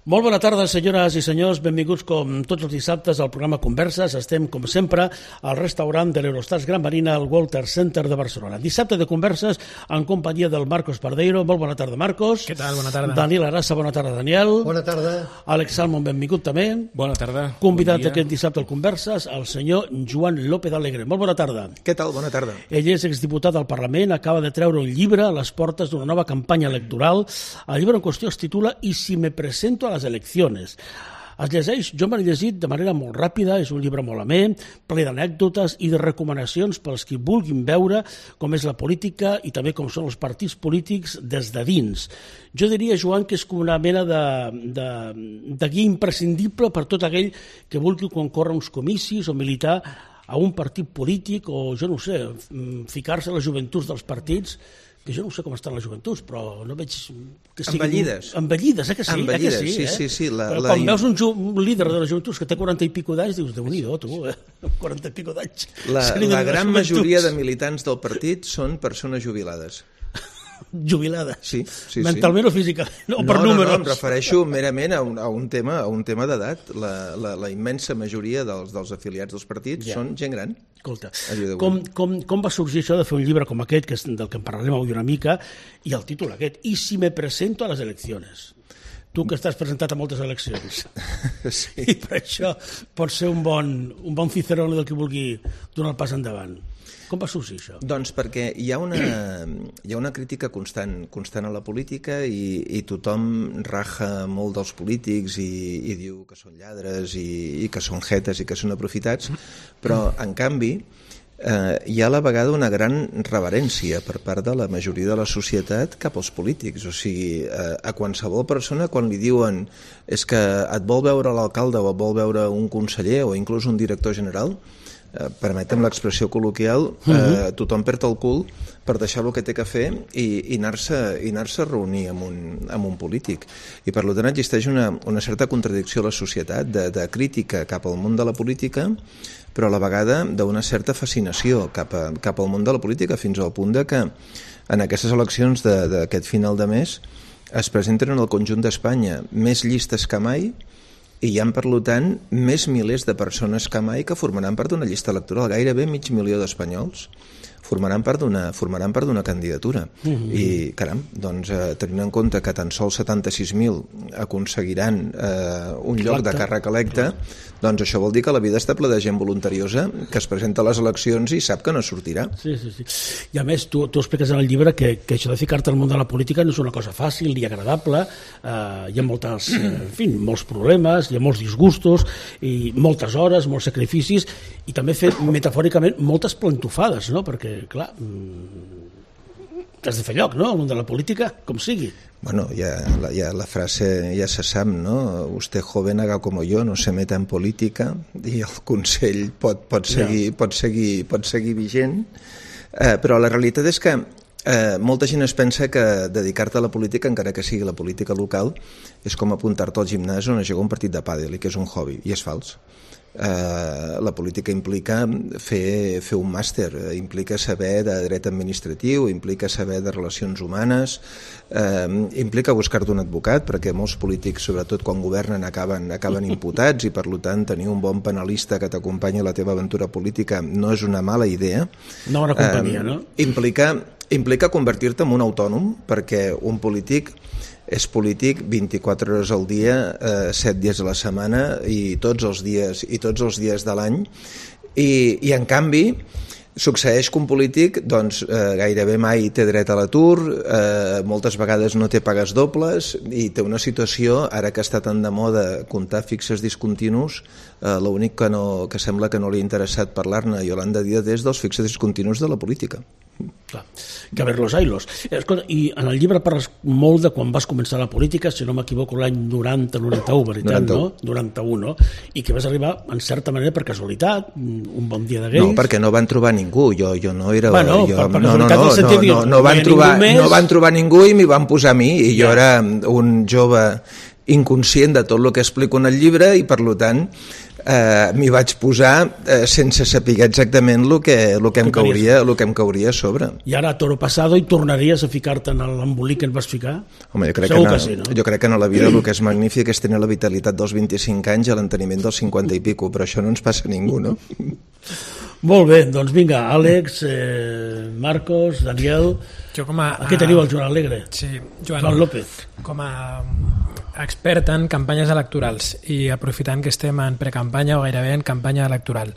Molt bona tarda, senyores i senyors. Benvinguts com tots els dissabtes al programa Converses. Estem, com sempre, al restaurant de l'Eurostars Gran Marina al Walter Center de Barcelona. Dissabte de Converses en companyia del Marcos Pardeiro. Molt bona tarda, Marcos. Què tal? Bona tarda. Daniel Arassa, bona tarda, Daniel. Bona tarda. Àlex Salmon, benvingut també. Bona tarda. Convidat aquest dissabte al Converses, el senyor Joan López Alegre. Molt bona tarda. Què tal? Bona tarda. Ell és exdiputat al Parlament, acaba de treure un llibre a les portes d'una nova campanya electoral. El llibre en qüestió es titula «Y si me presento a las elecciones?». Es llegeix, jo m'he llegit de manera molt ràpida, és un llibre molt amè, ple d'anècdotes i de recomanacions pels qui vulguin veure com és la política i també com són els partits polítics des de dins. Jo diria, Joan, que és com una mena de guia imprescindible per tot aquell que vulgui concórrer uns comicis o militar a un partit polític o, jo no sé, ficar-se a les joventuts dels partits, que jo no sé com estan les joventuts, però no veig que siguin... Envellides. Envellides, que sí? Envellides, sí. Quan veus un líder de les joventuts que té 40 i pico d'anys, dius, Déu-n'hi-do, tu, 40 i pico d'anys. La gran majoria de militants del partit són persones jubilades. Jubilades? Sí. Mentalment o físicament? O per números? No, em refereixo merament a un tema d'edat. La immensa majoria dels afiliats dels partits són gent gran. Escolta, com va sorgir això de fer un llibre com aquest, que és del que en parlarem avui una mica, i el títol aquest, «Y si me presento a las elecciones?». Tu que estàs presentat a moltes eleccions. Sí. I per això pot ser un bon Cicerone del que vulgui donar el pas endavant. Com va sorgir això? Doncs perquè hi ha una crítica constant a la política i tothom raja molt dels polítics i diu que són lladres i que són jetes i que són aprofitats, però en canvi hi ha a la vegada una gran reverència per part de la majoria de la societat cap als polítics. O sigui, a qualsevol persona quan li diuen és que et vol veure l'alcalde o et vol veure un conseller o inclús un director general, permetem l'expressió col·loquial, tothom perd el cul per deixar el que té que fer i anar-se a reunir amb un polític. I per tant existeix una certa contradicció a la societat de crítica cap al món de la política, però a la vegada d'una certa fascinació cap al món de la política, fins al punt de que en aquestes eleccions d'aquest final de mes es presenten en el conjunt d'Espanya més llistes que mai i hi ha, per tant, més milers de persones que mai que formaran part d'una llista electoral. Gairebé 500.000 d'espanyols formaran part d'una candidatura. I, caram, doncs, tenint en compte que tan sols 76.000 aconseguiran un lloc de càrrec electe, doncs això vol dir que la vida està plena de gent voluntariosa que es presenta a les eleccions i sap que no sortirà. Sí. I a més, tu expliques en el llibre que això de ficar-te al món de la política no és una cosa fàcil ni agradable, hi ha molts problemes, hi ha molts disgustos, i moltes hores, molts sacrificis, i també fer, metafòricament, moltes plantofades, no? Perquè, clar, t'has de fer lloc, no?, al món de la política, com sigui. Bueno, ya la frase ja se sap, no? Usted joven haga como yo, no se meta en política, i el consell pot seguir vigent, però la realitat és que molta gent es pensa que dedicar-te a la política, encara que sigui la política local, és com apuntar-te al gimnàs on es juga un partit de pàdel, i que és un hobby, i és fals. La política implica fer un màster, implica saber de dret administratiu, implica saber de relacions humanes, implica buscar-te un advocat, perquè molts polítics, sobretot quan governen, acaben imputats, i per tant tenir un bon penalista que t'acompanyi a la teva aventura política no és una mala idea. Una bona companyia, no? Implica convertir-te en un autònom, perquè un polític és polític 24 hores al dia, 7 dies a la setmana i tots els dies de l'any, i en canvi succeeix que un polític gairebé mai té dret a l'atur, moltes vegades no té pagues dobles i té una situació, ara que està tan de moda comptar fixes discontinus, l'únic que sembla que no li ha interessat parlar-ne a Yolanda Díaz és dels fixes discontinus de la política. Clar, que ver-los ailos. Escolta, i en el llibre parles molt de quan vas començar la política, si no m'equivoco l'any 90-91, veritat, 91. No? 91, no? I que vas arribar, en certa manera, per casualitat, un bon dia de Reis. No, perquè no van trobar ningú, jo no era... Bueno, per casualitat no van trobar ningú i m'hi van posar a mi, i jo era un jove inconscient de tot el que explico en el llibre i, per tant, m'hi vaig posar sense saber exactament el que em cauria a sobre. I ara, toro pasado, i tornaries a ficar-te en l'embolic que et vas ficar? Home, jo crec que en la vida el que és magnífic és tenir la vitalitat dels 25 anys i l'enteniment dels 50 i pico, però això no ens passa a ningú, no? Molt bé, doncs vinga, Àlex, Marcos, Daniel... Aquí teniu el Joan Alegre. Sí, Joan López. Com a expert en campanyes electorals i aprofitant que estem en precampanya o gairebé en campanya electoral,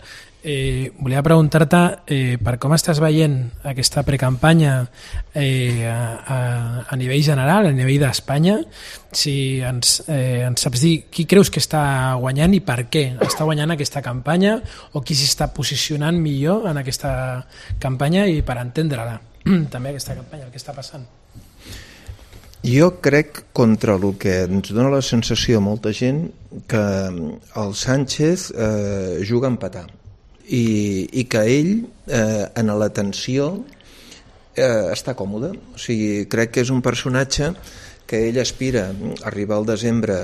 volia preguntar-te per com estàs veient aquesta precampanya a nivell general, a nivell d'Espanya, si ens saps dir qui creus que està guanyant i per què està guanyant aquesta campanya, o qui s'està posicionant millor en aquesta campanya, i per entendre-la també aquesta campanya, el que està passant. Jo crec, contra el que ens dona la sensació a molta gent, que el Sánchez juga a empatar i que ell en la tensió està còmode. O sigui, crec que és un personatge que ell aspira a arribar al desembre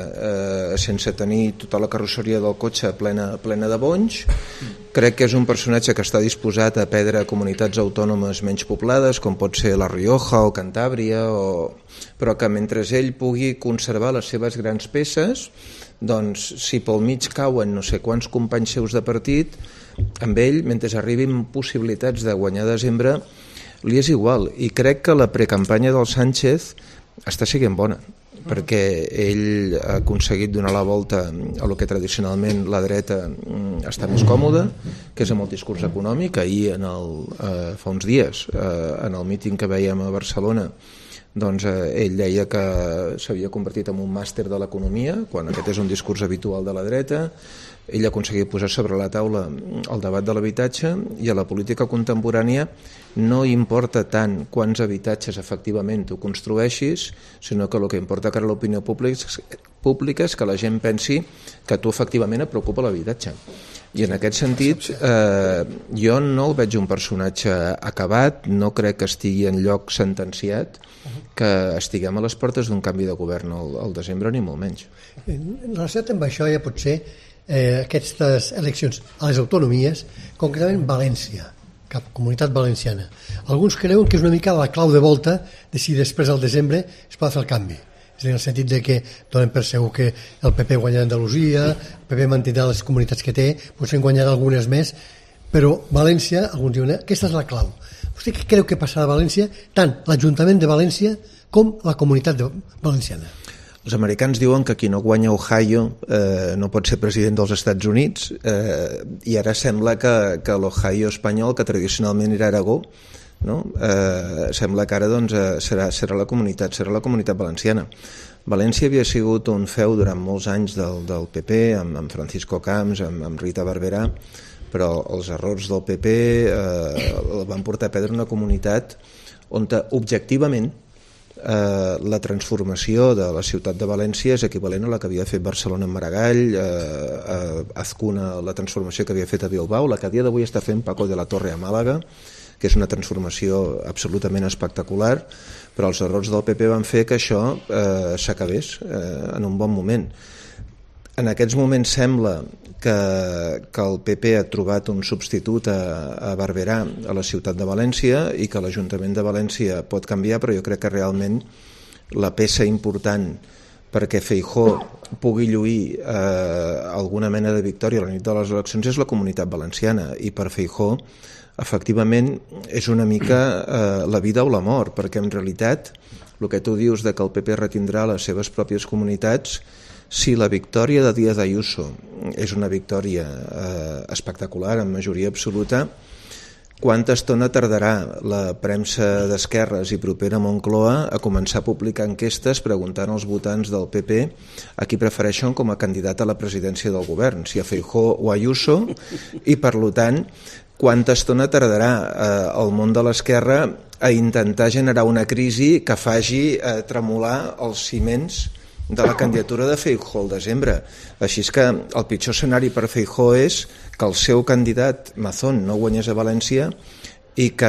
sense tenir tota la carrosseria del cotxe plena de bonys. Crec que és un personatge que està disposat a perdre comunitats autònomes menys poblades, com pot ser La Rioja o Cantàbria, però que mentre ell pugui conservar les seves grans peces, doncs si pel mig cauen no sé quants companys seus de partit, amb ell, mentre arribin possibilitats de guanyar a desembre, li és igual. I crec que la precampanya del Sánchez està sent bona, perquè ell ha aconseguit donar la volta a lo que tradicionalment la dreta està més còmoda, que és amb el discurs econòmic. Ahir, fa uns dies, en el míting que veiem a Barcelona, doncs ell deia que s'havia convertit en un màster de l'economia, quan aquest és un discurs habitual de la dreta. Ell ha aconseguit posar sobre la taula el debat de l'habitatge, i a la política contemporània no importa tant quants habitatges efectivament tu construeixis, sinó que el que importa cara a l'opinió pública és que la gent pensi que tu efectivament et preocupa l'habitatge. I en aquest sentit jo no el veig un personatge acabat, no crec que estigui en lloc sentenciat, que estiguem a les portes d'un canvi de govern al desembre, ni molt menys. En relació amb això, ja pot ser aquestes eleccions a les autonomies, concretament València, cap comunitat valenciana. Alguns creuen que és una mica la clau de volta de si després del desembre es pot fer el canvi. És en el sentit de que donen per segur que el PP guanyarà Andalusia, el PP mantindrà les comunitats que té, potser en guanyarà algunes més, però València, alguns diuen, aquesta és la clau. Vostè què creu que passarà a València, tant l'Ajuntament de València com la comunitat valenciana? Els americans diuen que qui no guanya Ohio no pot ser president dels Estats Units, i ara sembla que l'Ohio espanyol, que tradicionalment era Aragó, no? Sembla que ara doncs, serà la comunitat valenciana. València havia sigut un feu durant molts anys del PP, amb Francisco Camps, amb Rita Barberà, però els errors del PP el van portar a perdre una comunitat on objectivament la transformació de la ciutat de València és equivalent a la que havia fet Barcelona en Maragall, Azcuna, la transformació que havia fet a Bilbao, la que a dia d'avui està fent Paco de la Torre a Màlaga, que és una transformació absolutament espectacular, però els errors del PP van fer que això s'acabés en un bon moment. En aquests moments sembla que el PP ha trobat un substitut a Barberà a la ciutat de València i que l'Ajuntament de València pot canviar, però jo crec que realment la peça important perquè Feijóo pugui lluir alguna mena de victòria a la nit de les eleccions és la comunitat valenciana, i per Feijóo efectivament és una mica la vida o la mort, perquè en realitat el que tu dius de que el PP retindrà les seves pròpies comunitats, si la victòria de Díaz Ayuso és una victòria espectacular, en majoria absoluta, quanta estona tardarà la premsa d'esquerres i propera a Moncloa a començar a publicar enquestes preguntant als votants del PP a qui prefereixen com a candidat a la presidència del govern, si a Feijóo o a Ayuso, i per tant quanta estona tardarà el món de l'esquerra a intentar generar una crisi que faci tremolar els ciments de la candidatura de Feijóo al desembre. Així és que el pitjor escenari per Feijóo és que el seu candidat Mazón no guanyés a València i que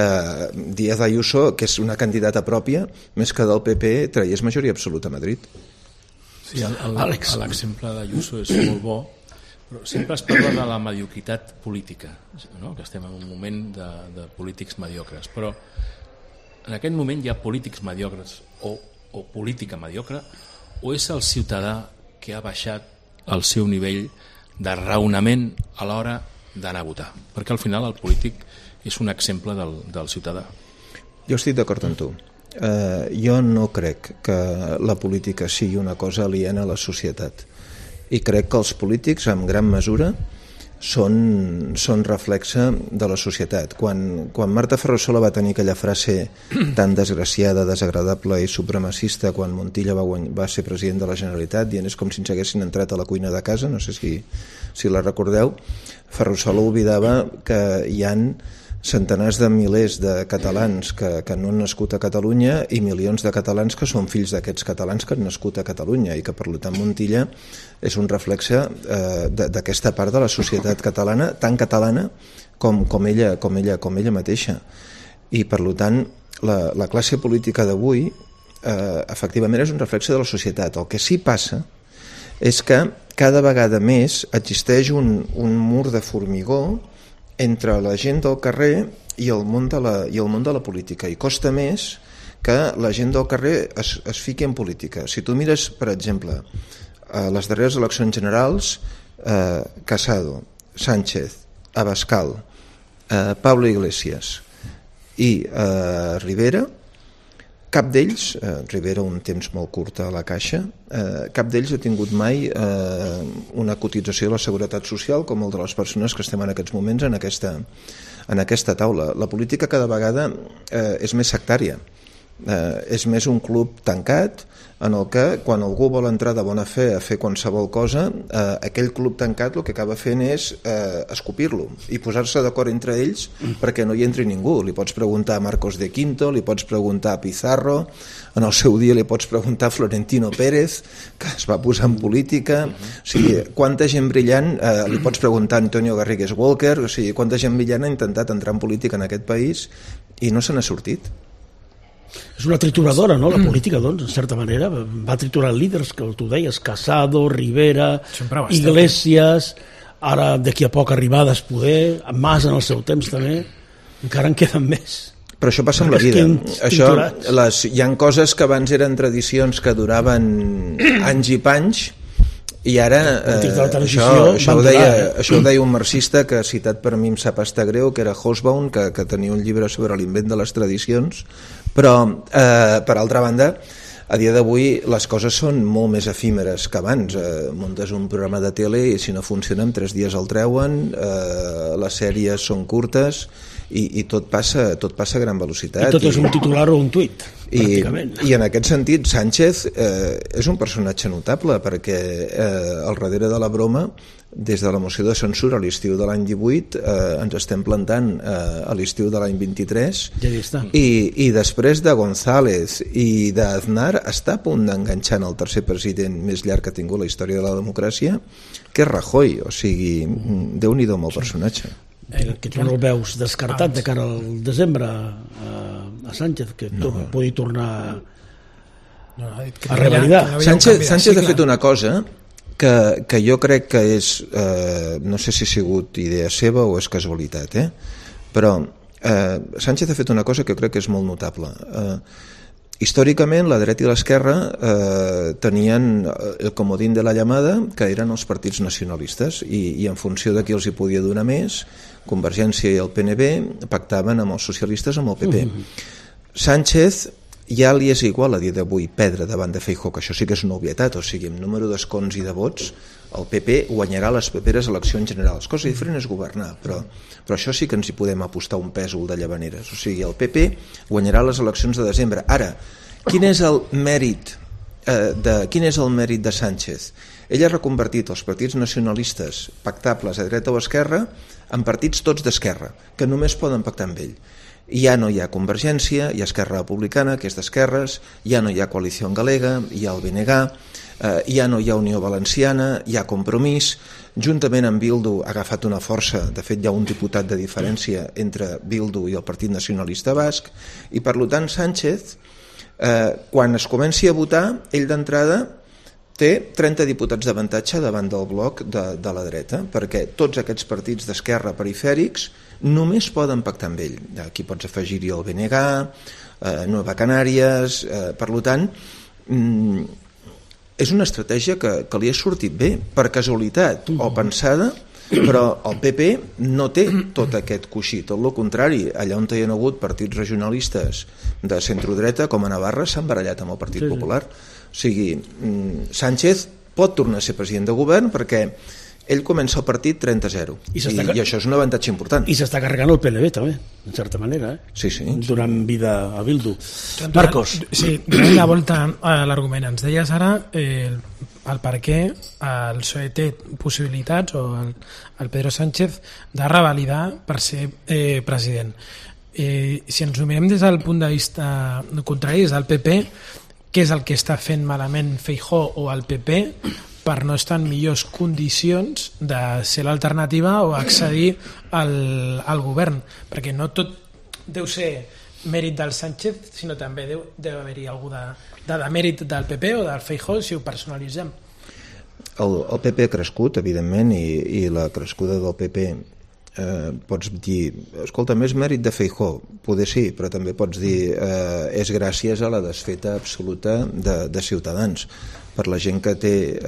Díaz Ayuso, que és una candidata pròpia, més que del PP, traiés majoria absoluta a Madrid. Sí, l'exemple d'Ayuso és molt bo, però sempre es parla de la mediocritat política, no? Que estem en un moment de polítics mediocres, però en aquest moment hi ha polítics mediocres o política mediocre, o és el ciutadà que ha baixat el seu nivell de raonament a l'hora d'anar a votar? Perquè al final el polític és un exemple del ciutadà. Jo estic d'acord amb tu. Jo no crec que la política sigui una cosa aliena a la societat, i crec que els polítics en gran mesura són reflexe de la societat. Quan Marta Ferrusola va tenir aquella frase tan desgraciada, desagradable i supremacista quan Montilla va ser president de la Generalitat, dient és com si ens haguessin entrat a la cuina de casa, no sé si la recordeu, Ferrusola oblidava que hi han centenars de milers de catalans que no han nascut a Catalunya i milions de catalans que són fills d'aquests catalans que han nascut a Catalunya, i que per tant Montilla és un reflexe d'aquesta part de la societat catalana, tan catalana com ella mateixa. I per tant la classe política d'avui efectivament és un reflexe de la societat. El que sí passa és que cada vegada més existeix un mur de formigó entre la gent del carrer i el món de la política, i costa més que la gent del carrer es fiqui en política. Si tu mires, per exemple, les darreres eleccions generals, Casado, Sánchez, Abascal, Pablo Iglesias i Rivera, cap d'ells, Rivera un temps molt curt a la Caixa, cap d'ells ha tingut mai una cotització de la Seguretat Social com el de les persones que estem en aquests moments en aquesta taula. La política cada vegada és més sectària, és més un club tancat en el que quan algú vol entrar de bona fe a fer qualsevol cosa, aquell club tancat el que acaba fent és escopir-lo i posar-se d'acord entre ells perquè no hi entri ningú. Li pots preguntar a Marcos de Quinto, li pots preguntar a Pizarro, en el seu dia li pots preguntar a Florentino Pérez, que es va posar en política, o sigui, quanta gent brillant, li pots preguntar a Antonio Garrigues Walker, o sigui, quanta gent brillant ha intentat entrar en política en aquest país i no se n'ha sortit. És una trituradora, no?, la política, doncs, en certa manera. Va triturar líders, que tu deies, Casado, Rivera, Iglesias, ara d'aquí a poc Arribades poder, Mas en el seu temps també, encara en queden més. Però això passa amb la vida. Hi ha coses que abans eren tradicions que duraven anys i panys, i ara això ho deia un marxista que ha citat per mi em sap estar greu, que era Hobsbawm, que tenia un llibre sobre l'invent de les tradicions, però per altra banda a dia d'avui les coses són molt més efímeres que abans. Muntes un programa de tele i si no funciona en 3 dies el treuen, les sèries són curtes i tot passa a gran velocitat. I tot és un titular o un tuit, pràcticament. I en aquest sentit Sánchez és un personatge notable, perquè al darrere de la broma, des de la moció de censura a l'estiu de l'any 18 ens estem plantant a l'estiu de l'any 23 i després de González i d'Aznar està a punt d'enganxar el tercer president més llarg que ha tingut la història de la democràcia, que és Rajoy. O sigui, Déu-n'hi-do amb el personatge. Que tu no el veus descartat de cara al desembre a Sánchez, que pugui tornar a revalidar. Sánchez ha fet una cosa que jo crec que és, no sé si ha sigut idea seva o és casualitat, però Sánchez ha fet una cosa que crec que és molt notable. Històricament la dreta i l'esquerra tenien el comodín de la llamada, que eren els partits nacionalistes, i en funció de qui els hi podia donar més, Convergència i el PNB pactaven amb els socialistes, amb el PP. Sánchez ja li és igual a dia d'avui perdre davant de Feijóo, que això sí que és una obvietat, o sigui, amb número d'escons i de vots el PP guanyarà les properes eleccions generals. Cosa diferent és governar, però això sí que ens hi podem apostar un pèsol de llavaneres. O sigui, el PP guanyarà les eleccions de desembre. Ara, quin és el mèrit de Sánchez? Ell ha reconvertit els partits nacionalistes pactables a dreta o esquerra en partits tots d'esquerra, que només poden pactar amb ell. Ja no hi ha Convergència, hi ha Esquerra Republicana, que és d'esquerres, ja no hi ha Coalició Galega, hi ha el BNG, ja no hi ha Unió Valenciana, hi ha Compromís, juntament amb Bildu ha agafat una força, de fet hi ha un diputat de diferència entre Bildu i el Partit Nacionalista Basc, i per tant Sánchez, quan es comenci a votar, ell d'entrada té 30 diputats d'avantatge davant del bloc de la dreta, perquè tots aquests partits d'esquerra perifèrics només poden pactar amb ell. Aquí pots afegir-hi el BNG, Nueva Canàries, per tant, és una estratègia que li ha sortit bé, per casualitat o pensada, però el PP no té tot aquest coixí, tot el contrari. Allà on hi ha hagut partits regionalistes de centrodreta, com a Navarra, s'han barallat amb el Partit Popular. O sigui, Sánchez pot tornar a ser president de govern perquè ell comença el partit 30-0 i això és un avantatge important. I s'està carregant el PNB també, en certa manera, Sí. Donant vida a Bildu. Marcos. Sí, donant la volta a l'argument. Ens deies ara el per què el PSOE té possibilitats, o el Pedro Sánchez, de revalidar per ser president. Si ens ho mirem des del punt de vista contrari, des del PP, què és el que està fent malament Feijóo o el PP per no estar en millors condicions de ser l'alternativa o accedir al govern? Perquè no tot deu ser mèrit del Sánchez, sinó també deu haver-hi algú de mèrit del PP o del Feijóo, si ho personalitzem. El PP ha crescut, evidentment, i la crescuda del PP pots dir, escolta, més mèrit de Feijóo, poder sí, però també pots dir és gràcies a la desfeta absoluta de Ciutadans. Per la gent que té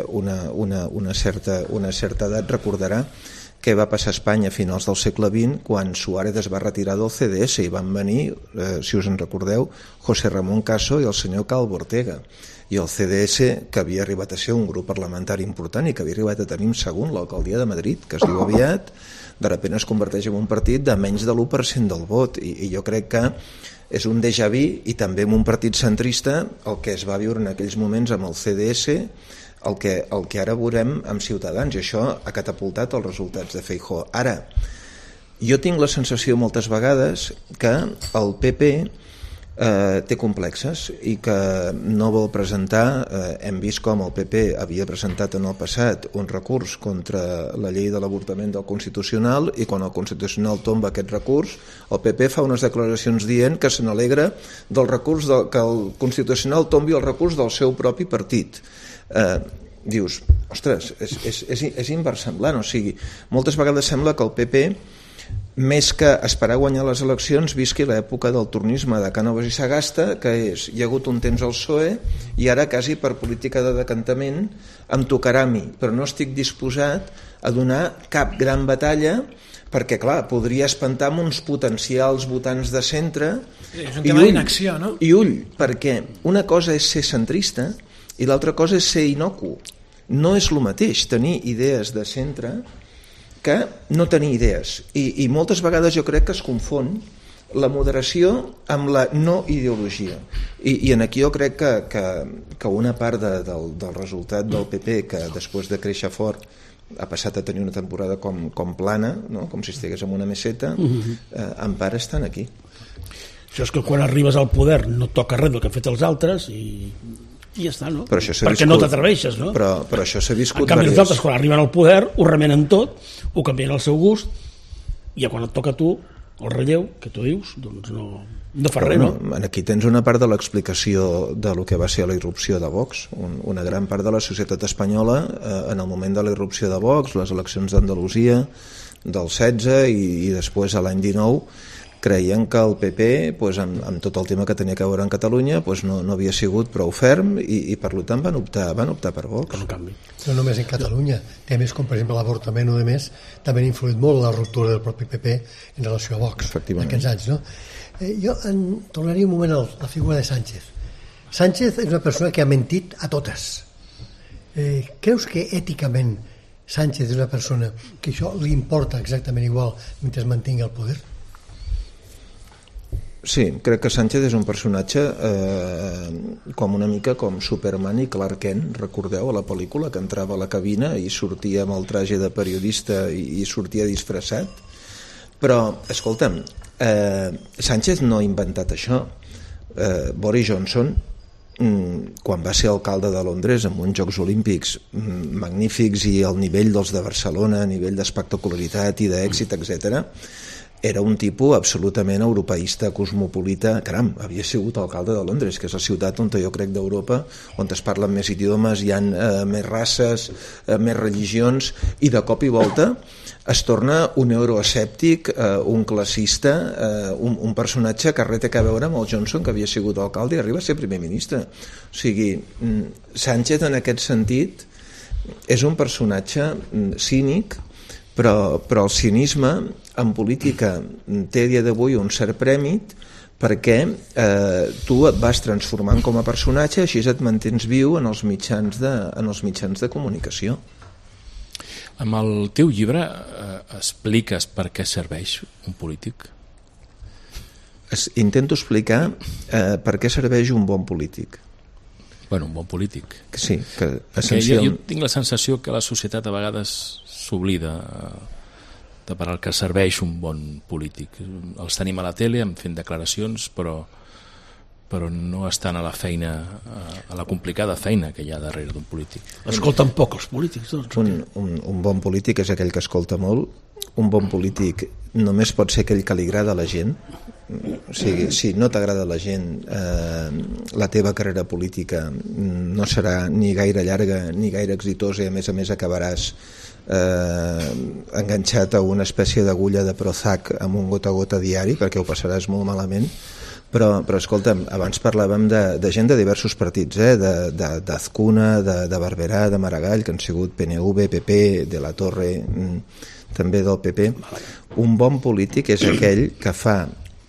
una certa edat recordarà què va passar a Espanya a finals del segle XX quan Suárez es va retirar del CDS i van venir, si us en recordeu, José Ramón Caso i el senyor Calvo Ortega, i el CDS, que havia arribat a ser un grup parlamentari important i que havia arribat a tenir un segon l'alcaldia de Madrid, que es diu aviat, de sobte es converteix en un partit de menys de l'1% del vot, i jo crec que és un déjà vu, i també en un partit centrista el que es va viure en aquells moments amb el CDS, el que ara veurem amb Ciutadans, i això ha catapultat els resultats de Feijóo. Ara, jo tinc la sensació moltes vegades que el PP té complexes i que no vol presentar, hem vist com el PP havia presentat en el passat un recurs contra la llei de l'avortament del Constitucional, i quan el Constitucional tomba aquest recurs, el PP fa unes declaracions dient que se n'alegra del recurs que el Constitucional tombi el recurs del seu propi partit. Dius, ostres, és inversemblant, o sigui, moltes vegades sembla que el PP, més que esperar guanyar les eleccions, visqui l'època del tornisme de Cánovas i Sagasta, que és, hi ha hagut un temps al PSOE i ara quasi per política de decantament em tocarà a mi, però no estic disposat a donar cap gran batalla perquè, clar, podria espantar amb uns potencials votants de centre. És un tema d'inacció, no? I ull, perquè una cosa és ser centrista i l'altra cosa és ser inocu. No és el mateix tenir idees de centre que no tenir idees, i moltes vegades jo crec que es confon la moderació amb la no ideologia, i en aquí jo crec que una part del resultat del PP, que després de créixer fort ha passat a tenir una temporada com plana, no? Com si estigués en una meseta, en part estan aquí. Això és que quan arribes al poder no toca res del que han fet els altres i ja està, no? Perquè no t'atreveixes, no? Però això s'ha viscut. En canvi, els altres, quan arriben al poder, ho remenen tot, ho canvien al seu gust, i quan et toca a tu el relleu, que tu dius, doncs no fa res, no? Aquí tens una part de l'explicació de lo que va ser la irrupció de Vox. Una gran part de la societat espanyola, en el moment de la irrupció de Vox, les eleccions d'Andalusia del 16 i després a l'any 19, creien que el PP, amb tot el tema que tenia que veure en Catalunya, no havia sigut prou ferm, i per tant van optar per Vox. No només en Catalunya, temes com per exemple l'avortament o demés també han influït molt la ruptura del propi PP en relació a Vox en aquests anys, no? Jo tornaria un moment a la figura de Sánchez. Sánchez és una persona que ha mentit a totes. Creus que èticament Sánchez és una persona que això li importa exactament igual mentre es mantingui al poder? Sí, crec que Sánchez és un personatge com una mica com Superman i Clark Kent, recordeu, a la pel·lícula, que entrava a la cabina i sortia amb el traje de periodista i sortia disfressat. Però, escolta'm, Sánchez no ha inventat això. Boris Johnson, quan va ser alcalde de Londres amb uns Jocs Olímpics magnífics i al nivell dels de Barcelona, a nivell d'espectacularitat i d'èxit, etc., era un tipus absolutament europeista, cosmopolita. Caram, havia sigut alcalde de Londres, que és la ciutat on jo crec d'Europa, on es parlen més idiomes, hi ha més races, més religions, i de cop i volta es torna un euroescèptic, un classista, un personatge que res té a veure amb el Johnson, que havia sigut alcalde i arriba a ser primer ministre. O sigui, Sánchez en aquest sentit és un personatge cínic, però el cinisme en política té a dia d'avui un cert prèmit, perquè tu et vas transformant com a personatge, així et mantens viu en els mitjans de comunicació. Amb el teu llibre expliques per què serveix un polític? Intento explicar per què serveix un bon polític. Bueno, un bon polític. Sí, que jo tinc la sensació que la societat a vegades s'oblida de per al que serveix un bon polític. Els tenim a la tele fent declaracions, però no estan a la feina, a la complicada feina que hi ha darrere d'un polític. Escolten poc els polítics, doncs. Un bon polític és aquell que escolta molt. Un bon polític només pot ser aquell que li agrada a la gent. O sigui, si no t'agrada la gent, la teva carrera política no serà ni gaire llarga ni gaire exitosa, i a més acabaràs enganxat a una espècie d'agulla de Prozac amb un gota a gota diari, perquè ho passaràs molt malament. Però escolta'm, abans parlàvem de gent de diversos partits, d'Azcuna, de Barberà, de Maragall, que han sigut PNV, PP, de la Torre, també del PP. Un bon polític és aquell que fa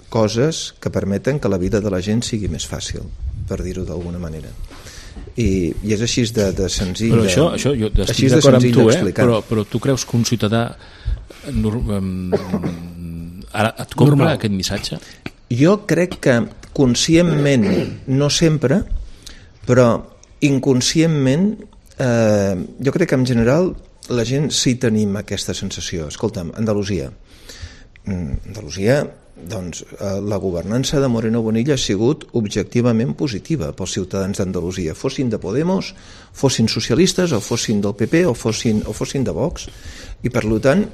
coses que permeten que la vida de la gent sigui més fàcil, per dir-ho d'alguna manera. I és així de senzill. Però això jo estic d'acord amb tu, però tu creus que un ciutadà ara et compra aquest missatge? Jo crec que conscientment, no sempre, però inconscientment, jo crec que en general la gent sí tenim aquesta sensació. Escolta'm, Andalusia, doncs la governança de Moreno Bonilla ha sigut objectivament positiva pels ciutadans d'Andalusia, fossin de Podemos, fossin socialistes, o fossin del PP, o fossin de Vox, i per tant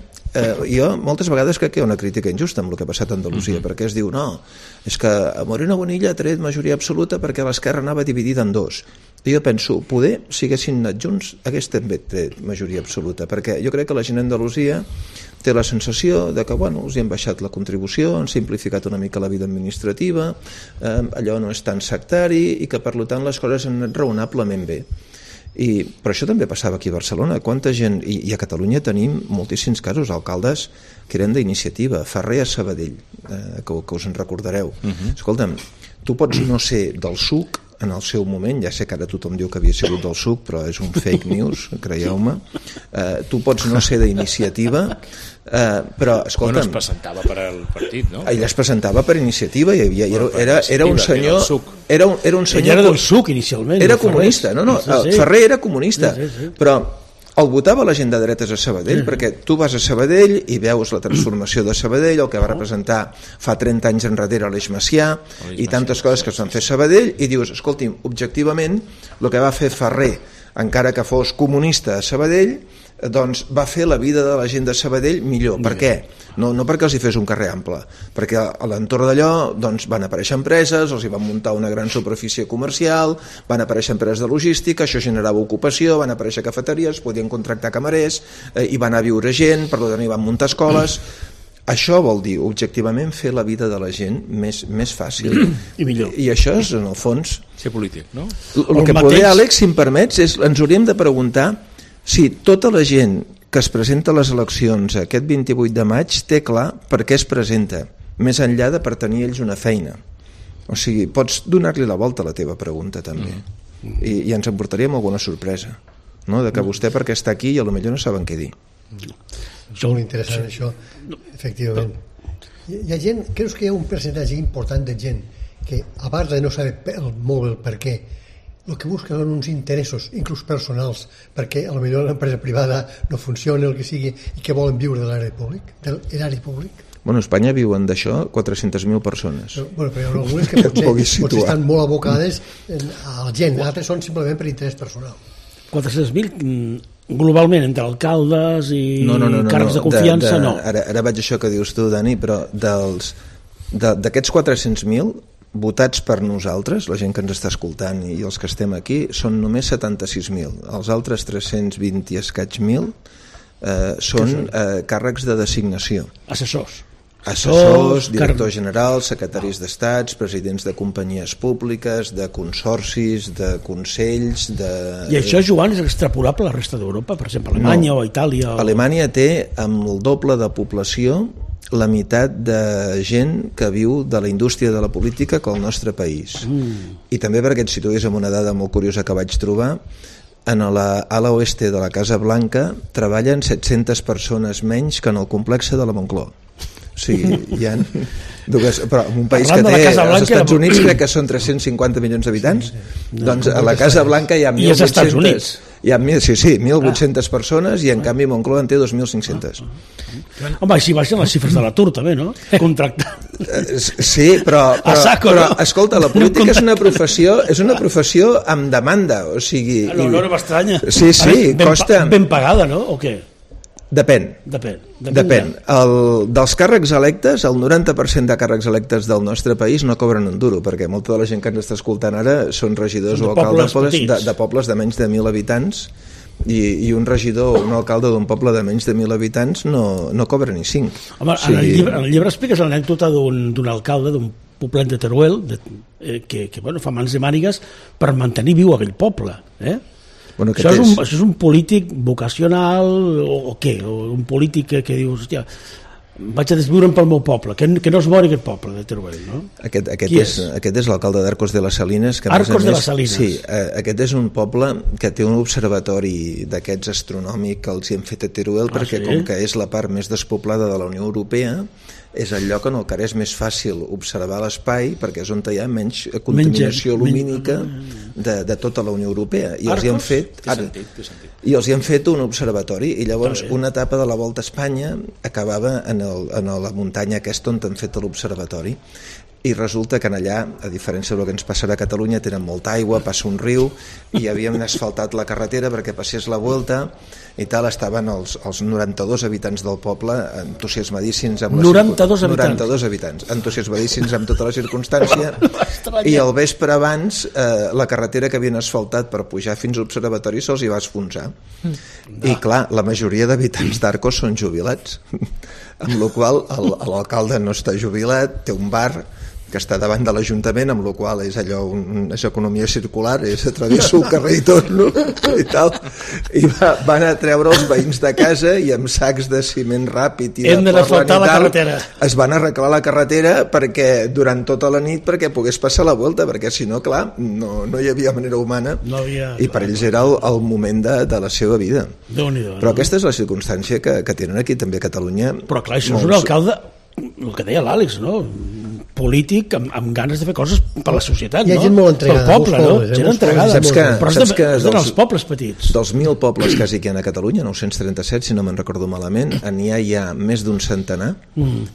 jo moltes vegades crec que hi ha una crítica injusta amb el que ha passat a Andalusia, perquè es diu no, és que Moreno Bonilla ha tret majoria absoluta perquè l'esquerra anava dividida en dos. I jo penso, poder, si haguessin anat junts, hagués també tret majoria absoluta, perquè jo crec que la gent d'Andalusia té la sensació de que els hi han baixat la contribució, han simplificat una mica la vida administrativa, allò no és tan sectari, i que per tant les coses han anat raonablement bé. Però això també passava aquí a Barcelona. Quanta gent, i a Catalunya tenim moltíssims casos, alcaldes que eren d'iniciativa. Ferrer a Sabadell, que us en recordareu. Escolta'm, tu pots no ser del SUC en el seu moment, ja sé que ara tothom diu que havia sigut del SUC, però és un fake news, creieu-me. Tu pots no ser d'iniciativa, però escolta'm... es presentava per al partit, no? Ell es presentava per iniciativa, era un senyor... Era un senyor... Ell era del SUC inicialment. Era comunista, no, Ferrer era comunista, però el votava la gent de dretes a Sabadell, perquè tu vas a Sabadell i veus la transformació de Sabadell, el que va representar fa 30 anys enrere l'Eix Macià i tantes coses que es van fer a Sabadell, i dius, escolti'm, objectivament el que va fer Ferrer, encara que fos comunista a Sabadell, doncs va fer la vida de la gent de Sabadell millor. Per què? No perquè els hi fes un carrer ample, perquè a l'entorn d'allò doncs, van aparèixer empreses, els hi van muntar una gran superfície comercial, van aparèixer empreses de logística, això generava ocupació, van aparèixer cafeteries, podien contractar camarers, hi va anar a viure gent, per tant hi van muntar escoles. Això vol dir, objectivament, fer la vida de la gent més fàcil. I millor. I això és, en el fons... Ser polític, no? El que poder, Àlex, si em permets, ens hauríem de preguntar si tota la gent que es presenta a les eleccions aquest 28 de maig té clar per què es presenta, més enllà de per tenir ells una feina. O sigui, pots donar-li la volta a la teva pregunta, també. I ens emportaríem alguna sorpresa, no? De que vostè perquè està aquí i potser no saben què dir. És molt interessant, això, efectivament. Hi ha gent, creus que hi ha un percentatge important de gent que, a part de no saber molt bé el per què, el que busca són uns interessos, inclús personals, perquè potser l'empresa privada no funciona, el que sigui, i que volen viure de l'erari públic. Bueno, a Espanya viuen d'això 400.000 persones. Però hi ha algunes que potser estan molt abocades a la gent, altres són simplement per interès personal. 400.000 Globalment, entre alcaldes i càrrecs de confiança, no. Ara vaig això que dius tu, Dani, però d'aquests 400.000 votats per nosaltres, la gent que ens està escoltant i els que estem aquí, són només 76.000. Els altres 320 i escaig mil són càrrecs de designació. Assessors, directors generals, secretaris d'estats, presidents de companyies públiques, de consorcis, de consells... I això, Joan, és extrapolable a la resta d'Europa? Per exemple, Alemanya o Itàlia? Alemanya té, amb el doble de població, la meitat de gent que viu de la indústria de la política que el nostre país. I també perquè et situïs en una dada molt curiosa que vaig trobar, a l'ala oeste de la Casa Blanca treballen 700 persones menys que en el complex de la Moncloa. O sigui, hi ha dues, però en un país que té als Estats Units crec que són 350 milions d'habitants, doncs a la Casa Blanca hi ha 1.800, hi ha 1.800 persones i en canvi Moncloa en té 2.500. Home, així baixen les xifres de l'atur també, no? Contractat. Sí, però escolta, la política és una professió amb demanda, o sigui... No m'estranya. Sí, costa... Ben pagada, no? O què? Depèn. Dels càrrecs electes, el 90% de càrrecs electes del nostre país no cobren un duro, perquè molta de la gent que ens està escoltant ara són regidors o alcaldes de pobles de menys de 1.000 habitants i un regidor o un alcalde d'un poble de menys de 1.000 habitants no cobra ni 5. Home, en el llibre expliques l'anècdota d'un alcalde d'un poblet de Teruel que fa mans i mànigues per mantenir viu aquell poble, Bueno, això és un polític vocacional o què? O un polític que dius, hòstia, vaig a desviure'm pel meu poble, que no es mori aquest poble de Teruel, no? Aquest és l'alcalde d'Arcos de les Salines. Arcos de les Salines. Sí, aquest és un poble que té un observatori d'aquests astronòmic que els hi hem fet a Teruel, perquè com que és la part més despoblada de la Unió Europea, és el lloc en el que és més fàcil observar l'espai perquè és on hi ha menys contaminació lumínica de tota la Unió Europea. I els hi han fet un observatori i llavors una etapa de la Volta a Espanya acabava en la muntanya aquesta on han fet l'observatori. I resulta que allà, a diferència del que ens passarà a Catalunya, tenen molta aigua, passa un riu i havíem asfaltat la carretera perquè passés la Volta i tal, estaven els 92 habitants del poble entusiasmadíssims amb 92 habitants entusiasmadíssims amb tota la circumstància i el vespre abans la carretera que havien asfaltat per pujar fins a l'observatori se'ls hi va esfonsar i clar, la majoria d'habitants d'Arcos són jubilats amb la qual l'alcalde no està jubilat, té un bar que està davant de l'Ajuntament, amb la qual és allò, és economia circular, és atravesso el carrer i torno i tal, i van a treure els veïns de casa i amb sacs de ciment ràpid i hem d'asfaltar la carretera, es van arreglar la carretera perquè durant tota la nit perquè pogués passar la volta, perquè si no, clar, no hi havia manera humana i per ells era el moment de la seva vida. Però aquesta és la circumstància que tenen aquí també a Catalunya. Però clar, això és un alcalde, el que deia l'Àlex, no? Polític amb ganes de fer coses per la societat, no? Hi ha gent molt entregada, pel poble, no? Gent entregada. Saps que dels pobles petits. Dels 1.000 pobles quasi que hi ha a Catalunya, 937, si no me'n recordo malament, n'hi ha més d'un centenar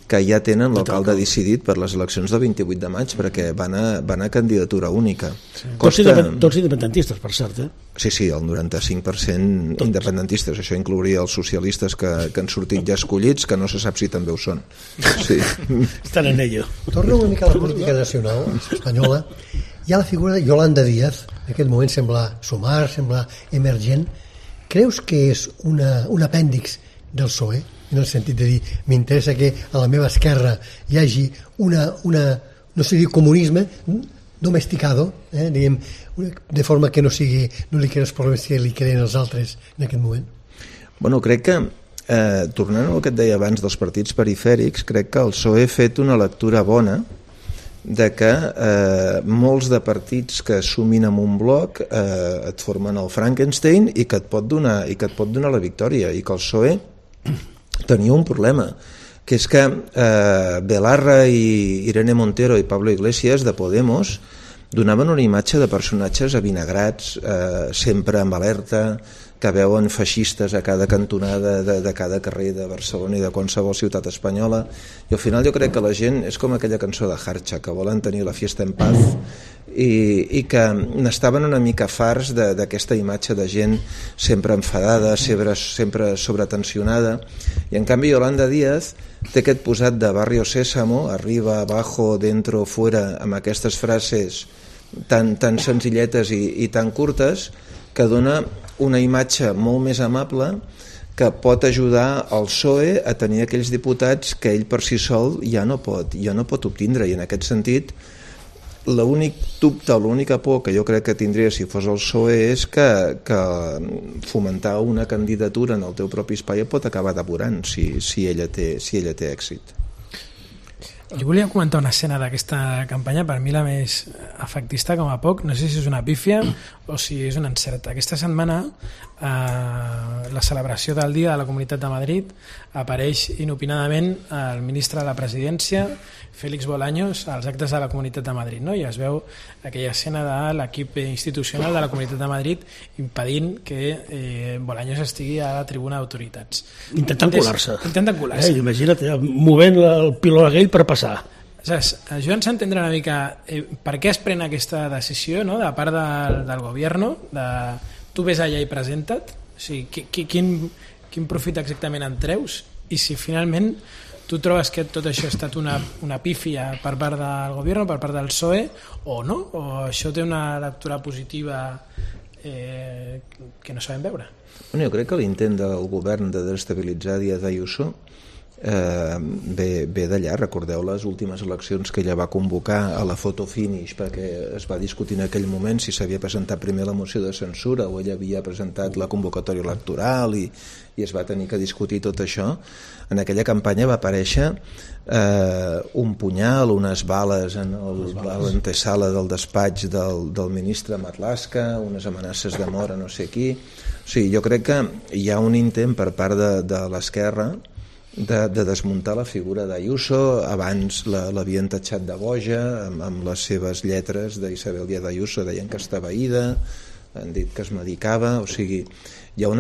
que ja tenen l'alcalde decidit per les eleccions del 28 de maig perquè van a candidatura única. Tots independentistes, per cert, Sí, el 95% independentistes. Això inclouria els socialistes que han sortit ja escollits, que no se sap si també ho són. Sí. Estan en ello. Torna una mica a la política nacional espanyola. Hi ha la figura de Yolanda Díaz, en aquest moment sembla sumar, sembla emergent. Creus que és un apèndix del PSOE? En el sentit de dir, m'interessa que a la meva esquerra hi hagi no sé dir comunisme domesticado, diguem, de forma que no li creen els problemes que li creen els altres en aquest moment. Bueno, crec que tornant al que et deia abans dels partits perifèrics, crec que el PSOE ha fet una lectura bona de que molts de partits que sumin en un bloc et formen el Frankenstein i que et pot donar la victòria, i que el PSOE tenia un problema, que és que Belarra i Irene Montero i Pablo Iglesias de Podemos donaven una imatge de personatges avinagrats, sempre amb alerta, que veuen feixistes a cada cantonada de cada carrer de Barcelona i de qualsevol ciutat espanyola, i al final jo crec que la gent és com aquella cançó de Harcha, que volen tenir la fiesta en paz, i que n'estaven una mica farts d'aquesta imatge de gent sempre enfadada, sempre sobretensionada, i en canvi Yolanda Díaz té aquest posat de Barrio Sésamo, arriba, abajo, dentro, fuera, amb aquestes frases tan senzilletes i tan curtes, que dona una imatge molt més amable que pot ajudar el PSOE a tenir aquells diputats que ell per si sol ja no pot obtindre, i en aquest sentit l'únic dubte, l'única por que jo crec que tindria si fos el PSOE és que fomentar una candidatura en el teu propi espai pot acabar depurant si ella té èxit. Jo volia comentar una escena d'aquesta campanya, per mi la més efectista com a poc, no sé si és una pífia o si és un encert. Aquesta setmana, la celebració del Dia de la Comunitat de Madrid, apareix inopinadament el ministre de la Presidència, Félix Bolaños, als actes de la Comunitat de Madrid, no? I es veu aquella escena de l'equip institucional de la Comunitat de Madrid impedint que Bolaños estigui a la tribuna d'autoritats. Intentant colar-se. Imagina't, movent el piló aquell per passar. Ajuda'ns a entendre una mica per què es pren aquesta decisió, no?, de part del govern, tu ves allà i presenta't, o sigui, quin profit exactament en treus, i si finalment tu trobes que tot això ha estat una pífia per part del govern, per part del PSOE, o no? O això té una lectura positiva que no sabem veure? Bueno, jo crec que l'intent del govern de desestabilitzar Díaz Ayuso ve d'allà. Recordeu les últimes eleccions que ella va convocar a la photo finish, perquè es va discutir en aquell moment si s'havia presentat primer la moció de censura o ella havia presentat la convocatòria electoral, i es va tenir que discutir tot això. En aquella campanya va aparèixer un punyal, unes bales a l'antesala del despatx del ministre Marlaska, unes amenaces de mort a no sé qui. O sigui, jo crec que hi ha un intent per part de l'esquerra de desmuntar la figura d'Ayuso. Abans l'havien tatxat de boja amb les seves lletres d'Isabel Díaz Ayuso, deien que estava ida, han dit que es medicava. O sigui, jo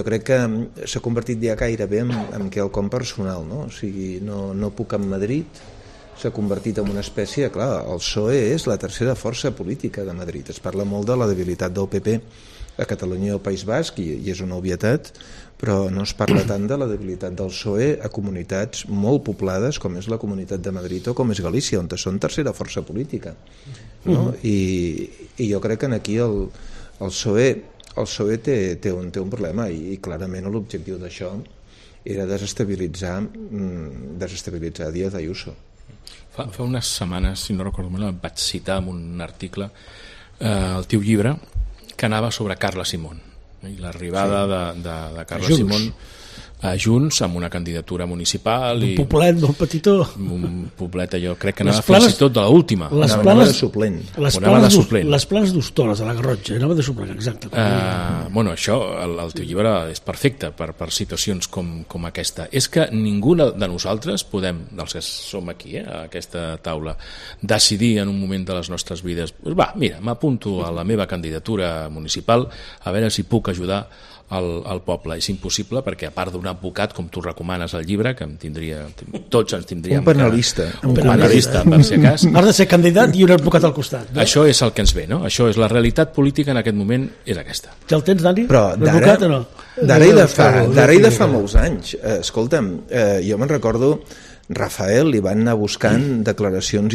crec que s'ha convertit ja gairebé en quelcom personal, no? O sigui, no puc en Madrid, s'ha convertit en una espècie, clar, el PSOE és la tercera força política de Madrid. Es parla molt de la debilitat del PP a Catalunya i al País Basc, i és una obvietat, però no es parla tant de la debilitat del PSOE a comunitats molt poblades com és la Comunitat de Madrid o com és Galícia, on són tercera força política, no? I jo crec que aquí el PSOE té un problema, i clarament l'objectiu d'això era desestabilitzar Díaz Ayuso. Fa unes setmanes, si no recordo mal, vaig citar en un article el teu llibre que anava sobre Carla Simón i l'arribada de Carla Simón a Junts amb una candidatura municipal, un poblet molt petitó, un poblet, jo crec que anava fins i tot de l'última, anava de suplent, les planes d'Hostoles, a la Garrotxa, anava de suplent, exacte. Bueno, això, el teu llibre és perfecte per situacions com aquesta. És que ningú de nosaltres podem, dels que som aquí, a aquesta taula, decidir en un moment de les nostres vides, mira, m'apunto a la meva candidatura municipal a veure si puc ajudar al poble. És impossible, perquè a part d'un advocat, com tu recomanes al llibre, que tots ens tindríem... Un penalista, per si cas. Has de ser candidat i un advocat al costat. No? Això és el que ens ve, no? Això és la realitat política en aquest moment, és aquesta. Ja el tens, Dani? Però d'ara i de fa molts anys. Escolta'm, jo me'n recordo, Rafael li van anar buscant declaracions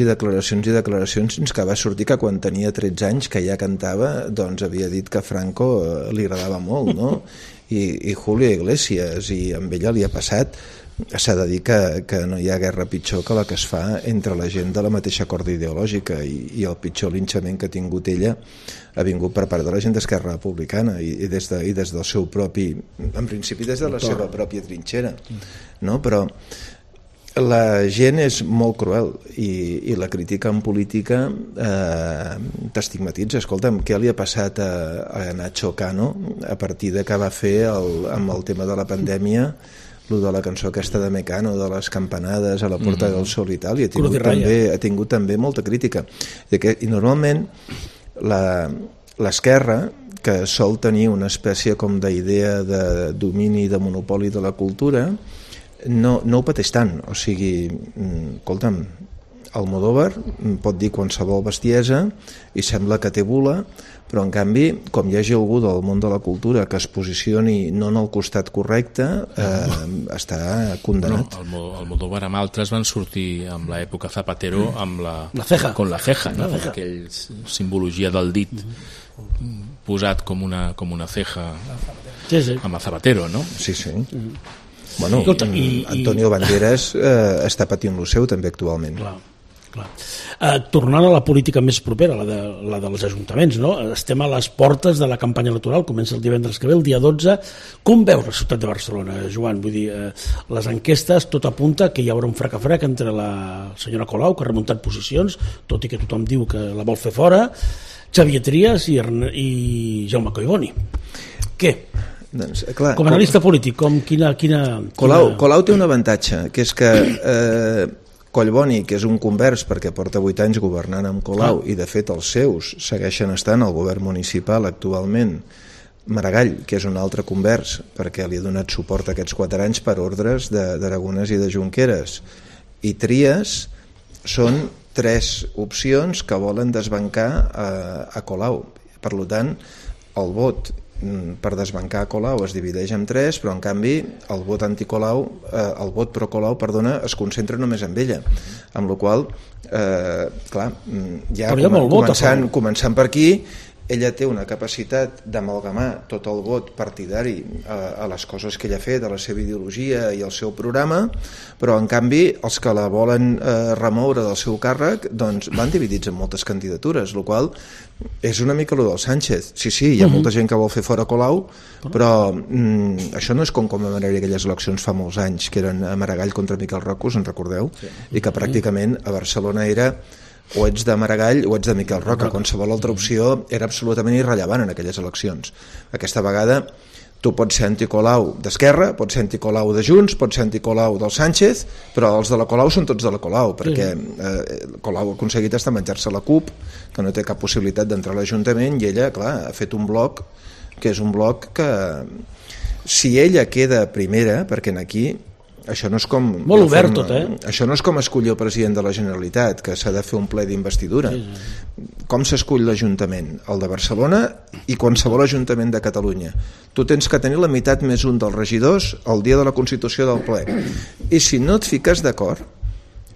fins que va sortir que quan tenia 13 anys, que ja cantava, doncs havia dit que Franco li agradava molt, no? I Julio Iglesias, i amb ella li ha passat. S'ha de dir que no hi ha guerra pitjor que la que es fa entre la gent de la mateixa corda ideològica, i el pitjor linxament que ha tingut ella ha vingut per part de la gent d'Esquerra Republicana i des del seu propi, en principi des de la seva pròpia trinxera, no? Però la gent és molt cruel, i la crítica en política t'estigmatitza. Escolta'm, què li ha passat a Nacho Cano a partir de que va fer amb el tema de la pandèmia, lo de la cançó aquesta de Mecano, de les campanades a la Porta del Sol i tal, i ha tingut també molta crítica. I normalment l'esquerra, que sol tenir una espècie com d'idea de domini, de monopoli de la cultura, no ho pateix tant. O sigui, escolta'm, Almodóvar pot dir qualsevol bestiesa i sembla que té bula, però en canvi, com hi hagi algú del món de la cultura que es posicioni no en el costat correcte, està condenat. Almodóvar amb altres van sortir amb l'època Zapatero amb la ceja. Con la ceja, no? Aquell simbologia del dit posat com una ceja amb el Zapatero, no? Sí. Bueno, Antonio Banderas està patint lo seu també actualment. Clar. Tornant a la política més propera, la dels ajuntaments, no? Estem a les portes de la campanya electoral, comença el divendres que ve, el dia 12. Com veus la ciutat de Barcelona, Joan? Vull dir, les enquestes, tot apunta que hi haurà un frec-a-frec entre la senyora Colau, que ha remuntat posicions, tot i que tothom diu que la vol fer fora, Xavier Trias i Jaume Collboni. Què? Doncs, clar, com a analista polític, quina... Colau té un avantatge, que és que Collboni, que és un convers perquè porta 8 anys governant amb Colau i de fet els seus segueixen estant al govern municipal actualment, Maragall, que és un altre convers perquè li ha donat suport aquests 4 anys per ordres d'Aragonès i de Junqueras, i Trias són 3 opcions que volen desbancar a Colau. Per tant, el vot per desbancar Colau es divideix en 3, però en canvi el vot anti-Colau, el vot pro-Colau, perdona, es concentra només en ella, amb la qual clar, ja començant per aquí, ella té una capacitat d'amalgamar tot el vot partidari a les coses que ella ha fet, a la seva ideologia i al seu programa, però en canvi els que la volen remoure del seu càrrec doncs van dividits en moltes candidatures, el qual és una mica el del Sánchez. Sí, hi ha molta gent que vol fer fora Colau, però això no és com commemorar aquelles eleccions fa molts anys, que eren a Maragall contra Miquel Roca, us en recordeu? I que pràcticament a Barcelona era o ets de Maragall o ets de Miquel Roca, qualsevol altra opció era absolutament irrellevant en aquelles eleccions. Aquesta vegada tu pots ser anticolau d'Esquerra, pots ser anticolau de Junts, pots ser anticolau del Sánchez, però els de la Colau són tots de la Colau, perquè Colau ha aconseguit estar menjar-se la CUP, que no té cap possibilitat d'entrar a l'Ajuntament, i ella, clar, ha fet un bloc que és un bloc que si ella queda primera, perquè aquí això no és com molt obert tot, això no és com escollir el president de la Generalitat, que s'ha de fer un ple d'investidura. Com s'escull l'Ajuntament? El de Barcelona i qualsevol Ajuntament de Catalunya. Tu tens que tenir la meitat més un dels regidors el dia de la Constitució del ple, i si no et fiques d'acord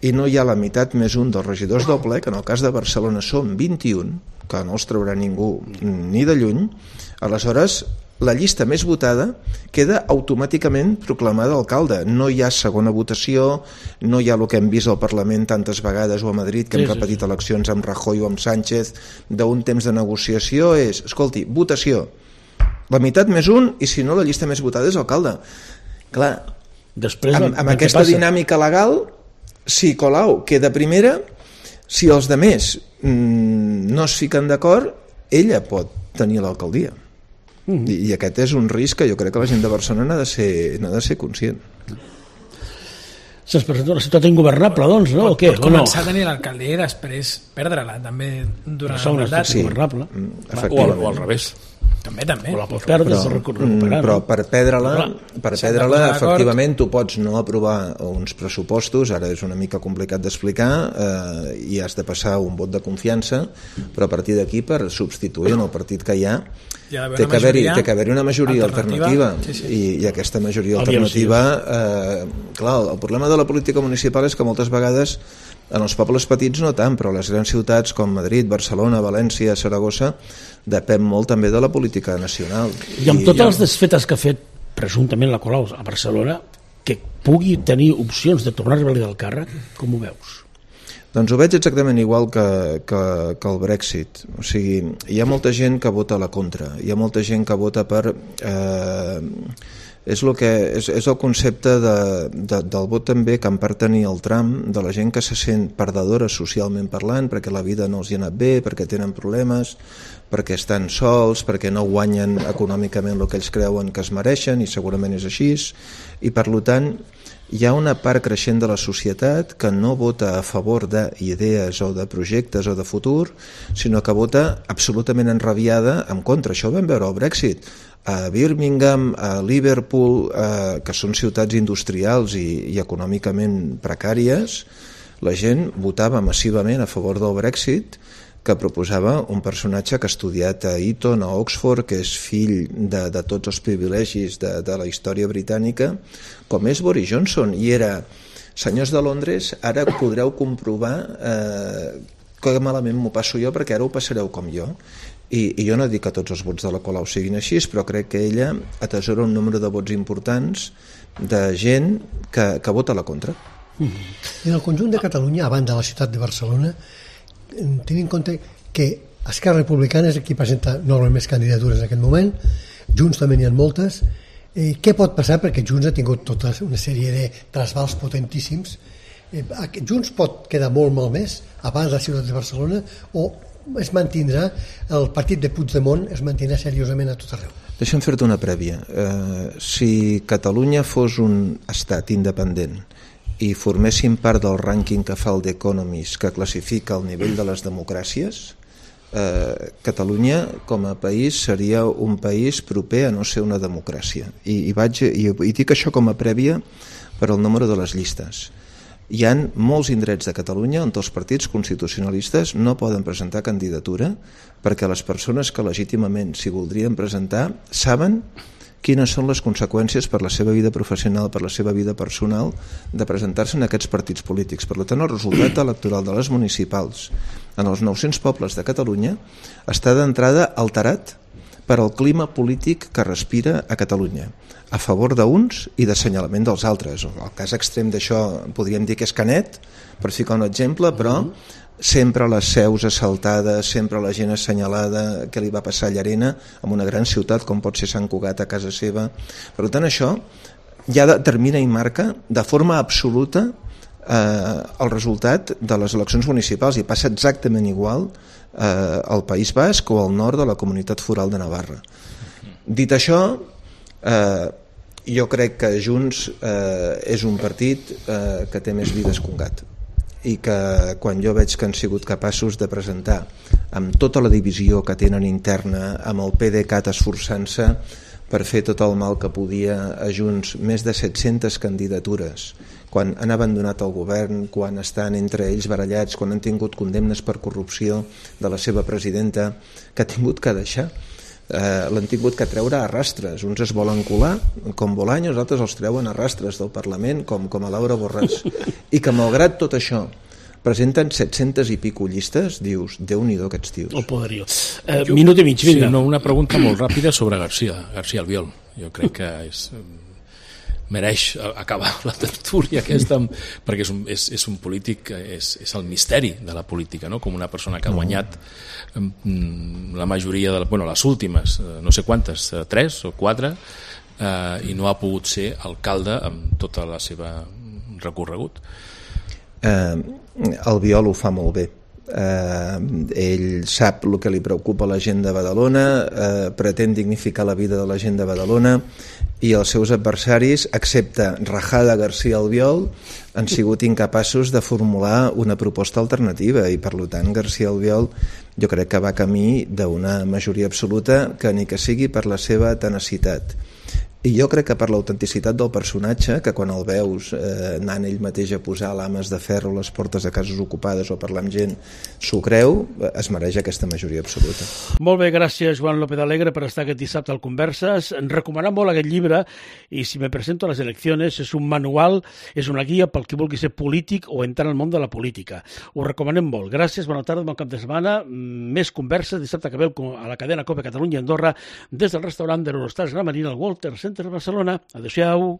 i no hi ha la meitat més un dels regidors del ple, que en el cas de Barcelona són 21, que no els traurà ningú ni de lluny, aleshores la llista més votada queda automàticament proclamada alcalde. No hi ha segona votació, no hi ha el que hem vist al Parlament tantes vegades o a Madrid, que hem repetit eleccions amb Rajoy o amb Sánchez, d'un temps de negociació, és, escolti, votació, la meitat més un, i si no la llista més votada és alcalde. Clar, amb aquesta dinàmica legal, si Colau queda primera, si els demés no es fiquen d'acord, ella pot tenir l'alcaldia. I aquest és un risc que jo crec que la gent de Barcelona n'ha de ser conscient. Se'ns presenta una ciutat ingovernable, doncs, no? Pot començar a tenir l'alcaldia i després perdre-la, també, durant el mandat. O al revés. També. O la pots perdre, però per perdre-la, efectivament, tu pots no aprovar uns pressupostos, ara és una mica complicat d'explicar, i has de passar un vot de confiança, però a partir d'aquí, per substituir en el partit que hi ha, té que haver-hi una majoria alternativa. I aquesta majoria alternativa, clar, el problema de la política municipal és que moltes vegades en els pobles petits no tant, però les grans ciutats com Madrid, Barcelona, València, Saragossa depèn molt també de la política nacional. I amb totes les desfetes que ha fet presumptament la Colau a Barcelona, que pugui tenir opcions de tornar a revalidar el càrrec, com ho veus? Doncs ho veig exactament igual que el Brexit. O sigui, hi ha molta gent que vota a la contra, hi ha molta gent que vota per És el concepte del vot també que en part tenia el Trump, de la gent que se sent perdedora socialment parlant, perquè la vida no els hi ha anat bé, perquè tenen problemes, perquè estan sols, perquè no guanyen econòmicament el que ells creuen que es mereixen, i segurament és així, i per tant hi ha una part creixent de la societat que no vota a favor d'idees o de projectes o de futur, sinó que vota absolutament enrabiada en contra. Això ho vam veure al Brexit. A Birmingham, a Liverpool, que són ciutats industrials i econòmicament precàries, la gent votava massivament a favor del Brexit, que proposava un personatge que ha estudiat a Eton, a Oxford, que és fill de tots els privilegis de la història britànica, com és Boris Johnson, i era: senyors de Londres, ara podreu comprovar que malament m'ho passo jo, perquè ara ho passareu com jo. I jo no dic que tots els vots de la Colau siguin així, però crec que ella atesora un número de vots importants de gent que vota a la contra. En el conjunt de Catalunya, a banda de la ciutat de Barcelona, tenint en compte que Esquerra Republicana és qui presenta normalment més candidatures en aquest moment, Junts també n'hi ha moltes, què pot passar? Perquè Junts ha tingut tota una sèrie de trasbals potentíssims. Junts pot quedar molt malmès abans de la ciutat de Barcelona, o es mantindrà, el partit de Puigdemont es mantindrà seriosament a tot arreu? Deixa'm fer-te una prèvia. Si Catalunya fos un estat independent i formessin part del rànquing que fa el The Economist, que classifica el nivell de les democràcies, Catalunya com a país seria un país proper a no ser una democràcia. I dic això com a prèvia per al número de les llistes. Hi ha molts indrets de Catalunya on els partits constitucionalistes no poden presentar candidatura perquè les persones que legítimament s'hi voldrien presentar saben quines són les conseqüències per la seva vida professional, per la seva vida personal, de presentar-se en aquests partits polítics. Per tant, el resultat electoral de les municipals en els 900 pobles de Catalunya està d'entrada alterat per al clima polític que respira a Catalunya, a favor d'uns i d'assenyalament dels altres. El cas extrem d'això podríem dir que és Canet, per ficar un exemple, però sempre les seus assaltades, sempre la gent assenyalada, que li va passar a Llarena, en una gran ciutat com pot ser Sant Cugat, a casa seva. Per tant, això ja determina i marca de forma absoluta el resultat de les eleccions municipals, i passa exactament igual al País Basc o al nord de la Comunitat Foral de Navarra. Dit això, jo crec que Junts és un partit que té més vides que un gat, i que quan jo veig que han sigut capaços de presentar amb tota la divisió que tenen interna, amb el PDeCAT esforçant-se per fer tot el mal que podia a Junts, més de 700 candidatures, quan han abandonat el govern, quan estan entre ells barallats, quan han tingut condemnes per corrupció de la seva presidenta, que ha tingut que deixar. L'han tingut que treure a rastres. Uns es volen colar com Bolaños, els altres els treuen a rastres del Parlament com a Laura Borràs, i que malgrat tot això presenten 700 i pico llistes. Dius, Déu-n'hi-do aquests tios. El poderio. Minut i mig, vinga. Sí, una pregunta molt ràpida sobre García Albiol. Jo crec que mereix acabar la tertúlia aquesta, perquè és un polític, és el misteri de la política, no? Com una persona que ha guanyat la majoria les últimes, no sé quantes, 3 o 4, i no ha pogut ser alcalde amb tota la seva recorregut. Albiol ho fa molt bé. Ell sap el que li preocupa a la gent de Badalona, pretén dignificar la vida de la gent de Badalona, i els seus adversaris, excepte Rajada García Albiol, han sigut incapaços de formular una proposta alternativa, i per tant García Albiol jo crec que va camí d'una majoria absoluta, que ni que sigui per la seva tenacitat. I jo crec que per l'autenticitat del personatge, que quan el veus anant ell mateix a posar lames de ferro a les portes de cases ocupades o parlar amb gent, s'ho creu, es mereix aquesta majoria absoluta. Molt bé, gràcies Joan López Alegre per estar aquest dissabte al Converses. Recomanar molt aquest llibre, i si me presento a les eleccions, és un manual, és una guia pel qui vulgui ser polític o entrar al món de la política. Ho recomanem molt. Gràcies, bona tarda, bon cap de setmana. Més Converses dissabte que veu a la cadena COPE Catalunya i Andorra des del restaurant de l'Eurostars Gran Marina al Walter Center de Barcelona. Adéu-siau.